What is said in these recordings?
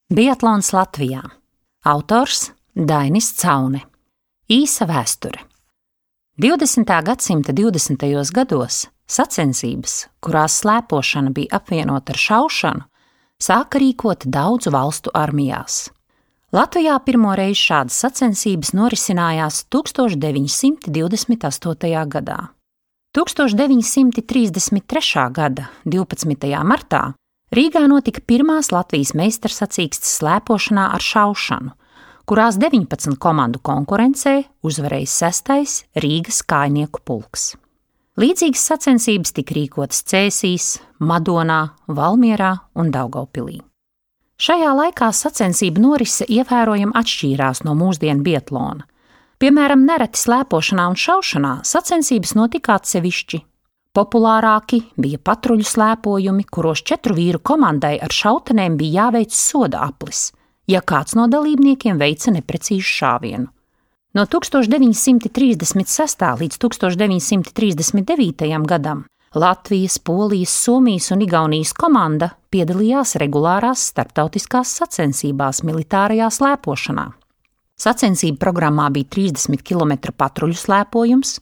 Biatlons Latvijā. Autors Dainis Caune. Īsa vēsture. 20. gadsimta 20. gados sacensības, kurās slēpošana bija apvienota ar šaušanu, sāka rīkot daudzu valstu armijās. Latvijā pirmoreiz šādas sacensības norisinājās 1928. gadā. 1933. gada 12. martā Rīgā notika pirmās Latvijas meistarsacīkstes slēpošanā ar šaušanu, kurās 19 komandu konkurencē uzvarēja 6. Rīgas kājnieku pulks. Līdzīgas sacensības tika rīkotas Cēsīs, Madonā, Valmierā un Daugavpilī. Šajā laikā sacensību norise ievērojami atšķīrās no mūsdienu biatlona. Piemēram, nereti slēpošanā un šaušanā sacensības notika atsevišķi. Populārāki bija patruļu slēpojumi, kuros 4 vīru komandai ar šautenēm bija jāveic soda aplis, ja kāds no dalībniekiem veica neprecīzu šāvienu. No 1936. līdz 1939. gadam Latvijas, Polijas, Somijas un Igaunijas komanda piedalījās regulārās starptautiskās sacensībās militārajā slēpošanā. Sacensību programmā bija 30 km patruļu slēpojums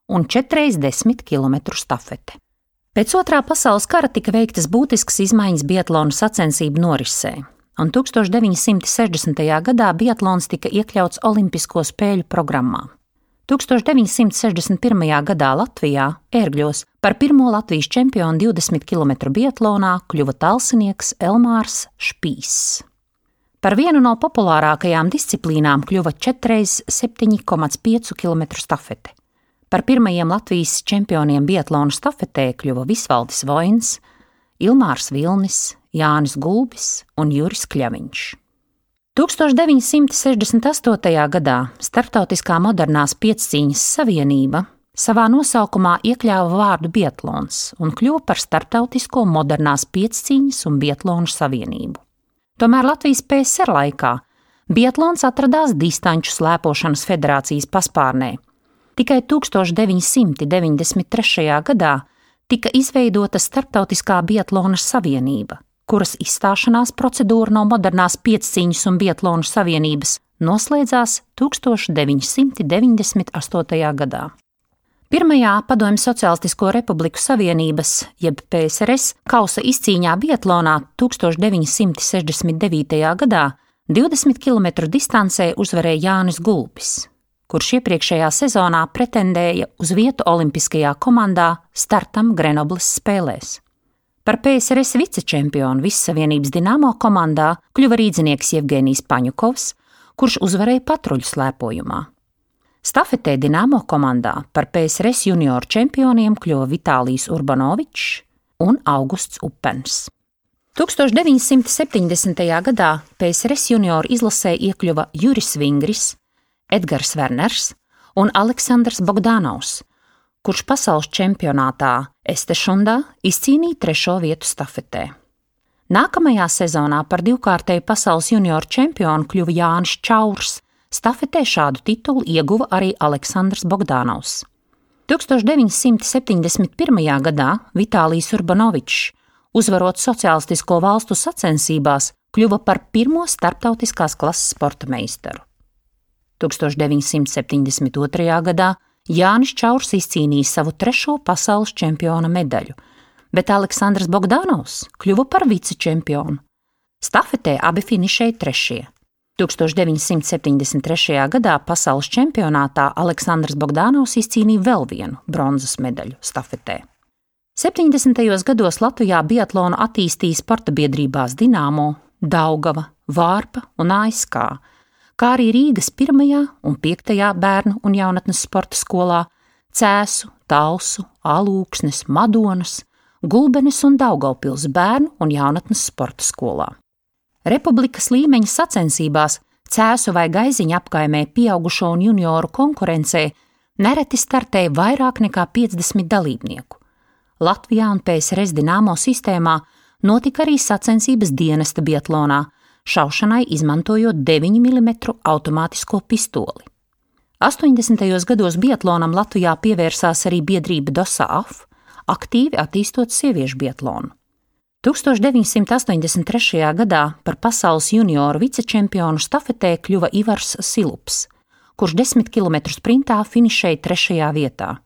un 4x10 km stafete. Pēc Otrā pasaules kara tika veiktas būtiskas izmaiņas biatlona sacensību norisē, un 1960. gadā biatlons tika iekļauts Olimpisko spēļu programmā. 1961. gadā Latvijā, Ērgļos, par pirmo Latvijas čempionu 20 km biatlonā kļuva talsinieks Elmārs Špīss. Par vienu no populārākajām disciplīnām kļuva 4x7,5 km stafete. Par pirmajiem Latvijas čempioniem biatlonu stafetē kļuva Visvaldis Voins, Ilmārs Vilnis, Jānis Gulbis un Juris Kļaviņš. 1968. gadā Starptautiskā modernās piecīņas savienība savā nosaukumā iekļāva vārdu biatlons un kļuva par Starptautisko modernās piecīņas un biatlonu savienību. Tomēr Latvijas PSR laikā biatlons atradās distanču slēpošanas federācijas paspārnē. Tikai 1993. gadā tika izveidota Starptautiskā biatlona savienība, kuras izstāšanās procedūra no modernās piecīņas un biatlonu savienības noslēdzās 1998. gadā. Pirmajā Padomju Sociālistisko Republiku Savienības, jeb PSRS, kausa izcīņā biatlonā 1969. gadā 20 km distancē uzvarēja Jānis Gulbis, kurš iepriekšējā sezonā pretendēja uz vietu olimpiskajā komandā startam Grenobles spēlēs. Par PSRS vicečempionu Vissavienības Dinamo komandā kļuva rīdzinieks Jevgenijs Paņukovs, kurš uzvarēja patruļu slēpojumā. Stafetē Dinamo komandā par PSRS junioru čempioniem kļuva Vitālijs Urbanovičs un Augusts Upens. 1970. gadā PSRS junioru izlasē iekļuva Juris Vingris, Edgars Verners un Aleksandrs Bogdanovs, kurš pasaules čempionātā Estešundā izcīnīja 3. vietu stafetē. Nākamajā sezonā par divkārtēju pasaules junioru čempionu kļuva Jānis Čaurs. Stafetē šādu titulu ieguva arī Aleksandrs Bogdanovs. 1971. gadā Vitālijs Urbanovičs, uzvarot sociālistisko valstu sacensībās, kļuva par pirmo starptautiskās klases sporta meistaru. 1972. gadā Jānis Čaurs izcīnīja savu 3. pasaules čempiona medaļu, bet Aleksandrs Bogdanovs kļuva par vicečempionu. Stafetē abi finišēja 3. 1973. gadā pasaules čempionātā Aleksandrs Bogdanovs izcīnīja vēl vienu bronzas medaļu stafetē. 70. gados Latvijā biatlonu attīstīja sporta biedrībās Dinamo, Daugava, Vārpa un ASK, kā arī Rīgas 1. un 5. bērnu un jaunatnes sporta skolā, Cēsu, Talsu, Alūksnes, Madonas, Gulbenes un Daugavpils bērnu un jaunatnes sporta skolā. Republikas līmeņa sacensībās Cēsu vai Gaiziņa apkaimē pieaugušo un junioru konkurencē nereti startēja vairāk nekā 50 dalībnieku. Latvijā un PSRS Dinamo sistēmā notika arī sacensības dienesta biatlonā, šaušanai izmantojot 9 mm automātisko pistoli. 80. gados biatlonam Latvijā pievērsās arī biedrība DOSAAF, aktīvi attīstot sieviešu biatlonu. 1983. gadā par pasaules junioru vicečempionu štafetē kļuva Ivars Silups, kurš 10 km sprintā finišēja 3. vietā.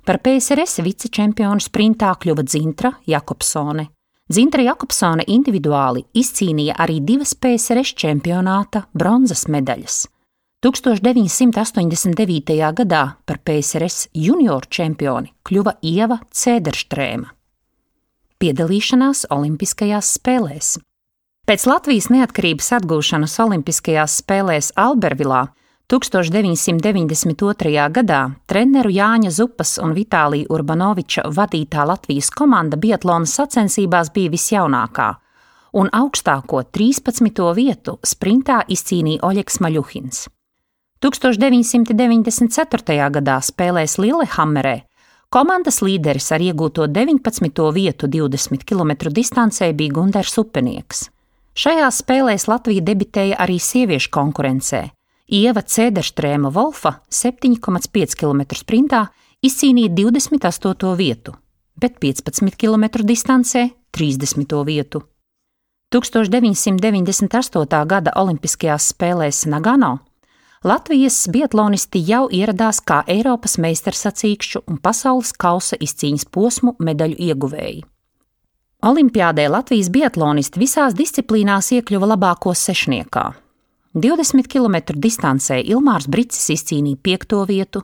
Par PSRS vicečempionu sprintā kļuva Dzintra Jakobsone. Dzintra Jakobsone individuāli izcīnīja arī 2 PSRS čempionāta bronzas medaļas. 1989. gadā par PSRS junioru čempioni kļuva Ieva Cēderštrēma. Piedalīšanās Olimpiskajās spēlēs. Pēc Latvijas neatkarības atgūšanas Olimpiskajās spēlēs Albervilā 1992. gadā treneru Jāņa Zupas un Vitālija Urbanoviča vadītā Latvijas komanda biatlona sacensībās bija visjaunākā, un augstāko 13. vietu sprintā izcīnīja Oļegs Maļuhins. 1994. gadā spēlēs Lillehammerē komandas līderis ar iegūto 19. vietu 20 km distancē bija Gunders Upenieks. Šajās spēlēs Latvija debitēja arī sieviešu konkurencē. Ieva Cēderštrēma Volfa 7,5 km sprintā izcīnīja 28. vietu, bet 15 km distancē 30. vietu. 1998. gada Olimpiskajās spēlēs Nagano Latvijas biatlonisti jau ieradās kā Eiropas meistarsacīkšu un pasaules kausa izcīņas posmu medaļu ieguvēji. Olimpiādē Latvijas biatlonisti visās disciplīnās iekļuva labāko sešniekā. 20 km distancē Ilmārs Bricis izcīnīja 5. vietu,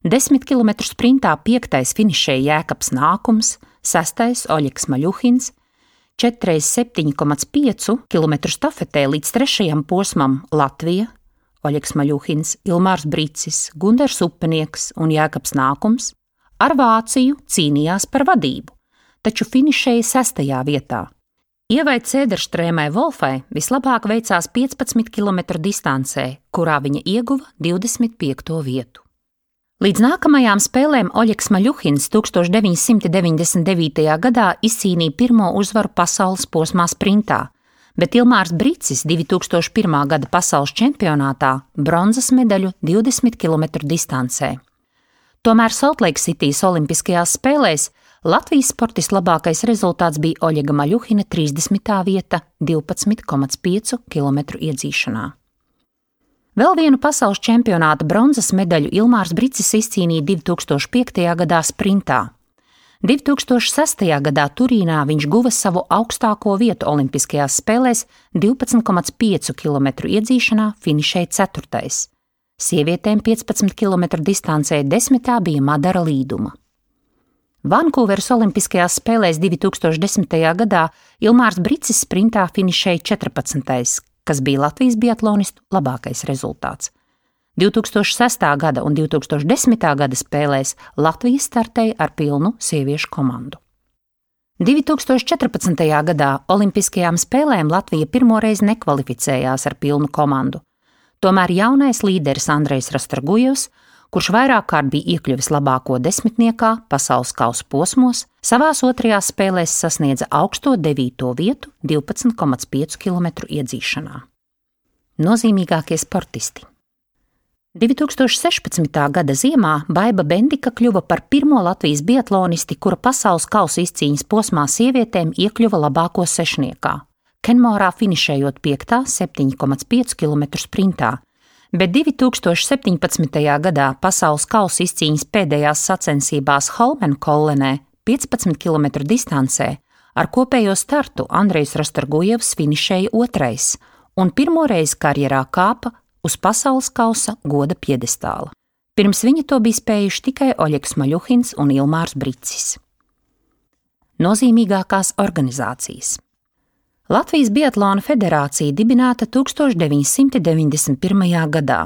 10 km sprintā 5. finišēja Jēkabs Nākums, 6. Oļegs Maļuhins, 4x7,5 km štafetē līdz 3. posmam Latvija, Oļegs Maļuhins, Ilmārs Bricis, Gunders Upenieks un Jēkabs Nākums ar Vāciju cīnījās par vadību, taču finišēja 6. vietā. Ievai Cēderštrēmai Volfai vislabāk veicās 15 km distancē, kurā viņa ieguva 25. vietu. Līdz nākamajām spēlēm Oļegs Maļuhins 1999. gadā izcīnīja pirmo uzvaru pasaules posmā sprintā, bet Ilmārs Bricis 2001. gada pasaules čempionātā bronzas medaļu 20 km distancē. Tomēr Soltleiksitīs Olimpiskajās spēlēs Latvijas sportistu labākais rezultāts bija Oļega Maļuhina 30. vieta 12,5 km iedzīšanā. Vēl vienu pasaules čempionāta bronzas medaļu Ilmārs Bricis izcīnīja 2005. gadā sprintā. 2006. gadā Turīnā viņš guva savu augstāko vietu Olimpiskajās spēlēs 12,5 km iedzīšanā, finišēja 4. Sievietēm 15 km distancē 10. bija Madara Līduma. Vankūveras Olimpiskajās spēlēs 2010. gadā Ilmārs Bricis sprintā finišēja 14., kas bija Latvijas biatlonistu labākais rezultāts. 2006. gada un 2010. gada spēlēs Latvija startēja ar pilnu sieviešu komandu. 2014. gadā Olimpiskajām spēlēm Latvija pirmoreiz nekvalificējās ar pilnu komandu. Tomēr jaunais līderis Andrejs Rastorgujevs, kurš vairāk kārt bija iekļuvis labāko desmitniekā pasaules kausa posmos, savās 2. spēlēs sasniedza augsto 9. vietu 12,5 km iedzīšanā. Nozīmīgākie sportisti. 2016. gada ziemā Baiba Bendika kļuva par pirmo Latvijas biatlonisti, kura pasaules kausa izcīņas posmā sievietēm iekļuva labāko sešniekā, Kenmorā finišējot 5. 7,5 km sprintā, bet 2017. gadā pasaules kausa izcīņas pēdējās sacensībās Holmenkollenē 15 km distancē ar kopējo startu Andrejs Rastorgujevs finišēja 2. un pirmoreiz karjerā kāpa uz pasaules kausa goda piedestāla. Pirms viņa to bija spējuši tikai Oļegs Maļuhins un Ilmārs Bricis. Nozīmīgākās organizācijas. Latvijas Biatlona federācija dibināta 1991. gadā.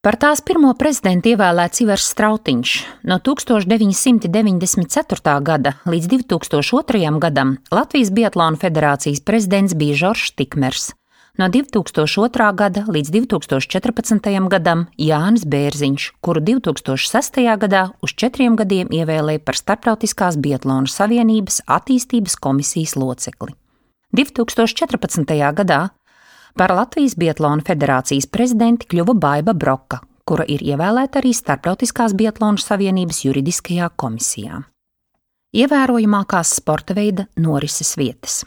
Par tās pirmo prezidentu ievēlēts Ivars Strautiņš. No 1994. gada līdz 2002. gadam Latvijas Biatlona federācijas prezidents bija Žoržs Tikmers. No 2002. gada līdz 2014. gadam Jānis Bērziņš, kuru 2006. gadā uz 4 gadiem ievēlēja par Starptautiskās Biatlona savienības attīstības komisijas locekli. 2014. gadā par Latvijas Biatlona federācijas prezidenti kļuva Baiba Broka, kura ir ievēlēta arī Starptautiskās Biatlona savienības juridiskajā komisijā. Ievērojamākās sporta veida norises vietas.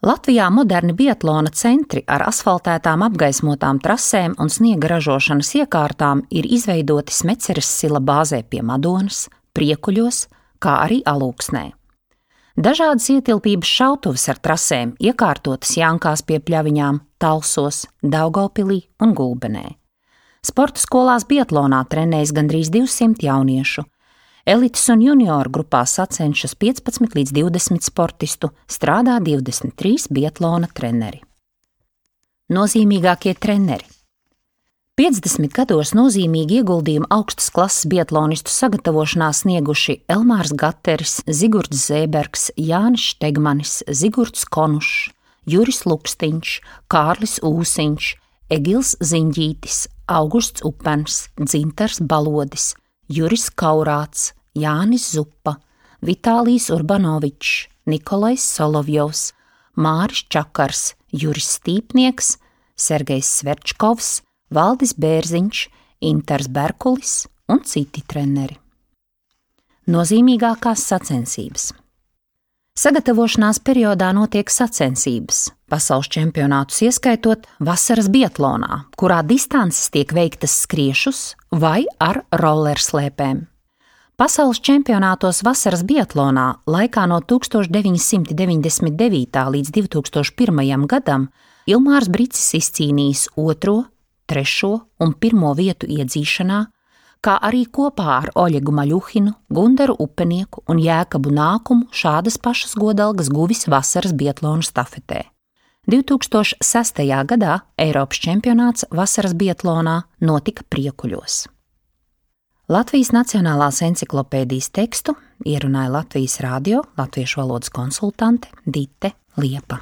Latvijā moderni biatlona centri ar asfaltētām apgaismotām trasēm un sniega ražošanas iekārtām ir izveidoti Smeceres sila bāzē pie Madonas, Priekuļos, kā arī Alūksnē. Dažādas ietilpības šautuves ar trasēm iekārtotas Jānkās pie Pļaviņām, Talsos, Daugavpilī un Gulbenē. Sporta skolās biatlonā trenējas gandrīz 200 jauniešu. Elites un junioru grupā sacenšas 15 līdz 20 sportistu, strādā 23 biatlona treneri. Nozīmīgākie treneri. 50 gados nozīmīgi ieguldījumu augstas klases biatlonistu sagatavošanā snieguši Elmārs Gateris, Zigurds Zēbergs, Jānis Štegmanis, Zigurds Konušs, Juris Lukstiņš, Kārlis Ūsiņš, Egils Ziņģītis, Augusts Upens, Dzintars Balodis, Juris Kaurāts, Jānis Zupa, Vitālijs Urbanovičs, Nikolais Solovjovs, Māris Čakars, Juris Stīpnieks, Sergejs Sverčkovs, Valdis Bērziņš, Intars Berkulis un citi treneri. Nozīmīgākās sacensības. Sagatavošanās periodā notiek sacensības, pasaules čempionātus ieskaitot vasaras biatlonā, kurā distances tiek veiktas skriešus vai ar rollerslēpēm. Pasaules čempionātos vasaras biatlonā laikā no 1999. līdz 2001. gadam Ilmārs Bricis izcīnījis 2., 3. un 1. vietu iedzīšanā, kā arī kopā ar Oļegu Maļuhinu, Gundaru Upenieku un Jēkabu Nākumu šādas pašas godalgas guvis vasaras biatlonu stafetē. 2006. gadā Eiropas čempionāts vasaras biatlonā notika Priekuļos. Latvijas Nacionālās enciklopēdijas tekstu ierunāja Latvijas radio latviešu valodas konsultante Dite Liepa.